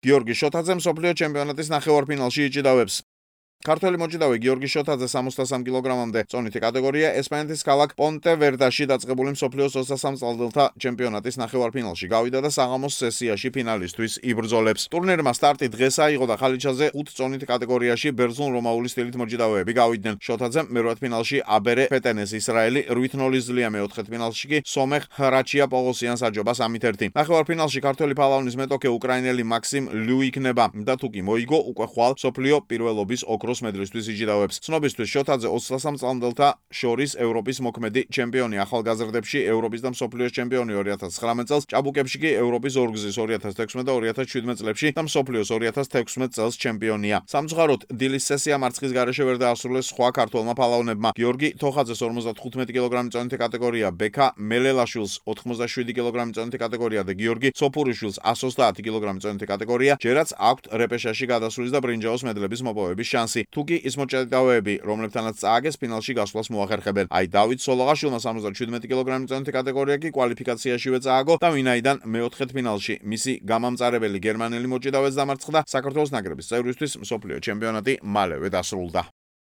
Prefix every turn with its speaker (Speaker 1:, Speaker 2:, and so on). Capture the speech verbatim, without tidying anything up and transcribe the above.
Speaker 1: გიორგი შოთაძე მსოფლიო ჩემპიონატის ნახევარფინალში იჭიდავებს. ქართველი მოჭიდავე გიორგი შოთაძე სამოცდასამ კილოგრამამდე წონითი კატეგორია ესპანეთის ქალაქ პონტევერდაში დაწყებული მსოფლიოს ოცდასამ წლდელთა ჩემპიონატის ნახევარფინალში გავიდა და საღამოს სესიაში ფინალისტვის იბრძოლებს. ტურნირმა სტარტი დღეს აიღო და ხალიჩაზე ხუთ წონით კატეგორიაში ბერძნულ-რომაული სტილით მოჭიდავეები გავიდნენ. შოთაძემ მერვედ ფინალში აბერე ფეტენეს ისრაელი რვით ნული ზლია, მეოთხედ ფინალში კი სომეხ ხრაჩია პოგოსიანს აჯობა სამით ერთი. ნახევარფინალში ქართველი ფალავნის მეტოქე უკრაინელი მაქსიმ ლიუ იქნება და თუკი მოიგო უკვე ხვალ მსოფლიო პირველობის ოქროს მედლისთვის იჭიდავებს. ცნობისთვის შოთაძე ოცდასამ წლამდელთა შორის ევროპის მოქმედი ჩემპიონი, ახალგაზრდებში ევროპის და მსოფლიოს ჩემპიონი ორი ათას ცხრამეტ წელს, ჭაბუკებში კი ევროპის ორგზის ორი ათას თექვსმეტ და ორი ათას შვიდმეტ წლებში და მსოფლიოს ორი ათას თექვსმეტ წელს ჩემპიონია. სამწუხაროდ დილის სესია მარცხის გარეშე ვერ დაასრულეს სხვა ქართველმა ფალავნებმა. გიორგი თოხაძეს ორმოცდათხუთმეტი კილოგრამის წონითი კატეგორია, ბექა მელელაშვილს ოთხმოცდაშვიდი კილოგრამის წონითი კატეგორია და გიორგი სოფურიშვილს εκατს ოცდაათი კილოგრამის წონითი კატეგორია, ჯერაც აქვთ რეპეშაჟში გადასვლის და ბრინჯაოს მედლების მოპოვების შანსი. თუკი ის მოჭიდავეები, რომლებთანაც წააგეს ფინალში გასვლას მოახერხებენ. აი დავით სოლოღაშვილმა სამოცდაშვიდმეტი კილოგრამის წონითი კატეგორია კი კვალიფიკაციაშივე წააგო და ვინაიდან მეოთხედ ფინალში მისი გამამწარებელი გერმანელი მოჭიდავეც დამარცხდა, საქართველოს ნაკრების წევრისთვის მსოფლიო ჩემპიონატი მალევე დასრულდა.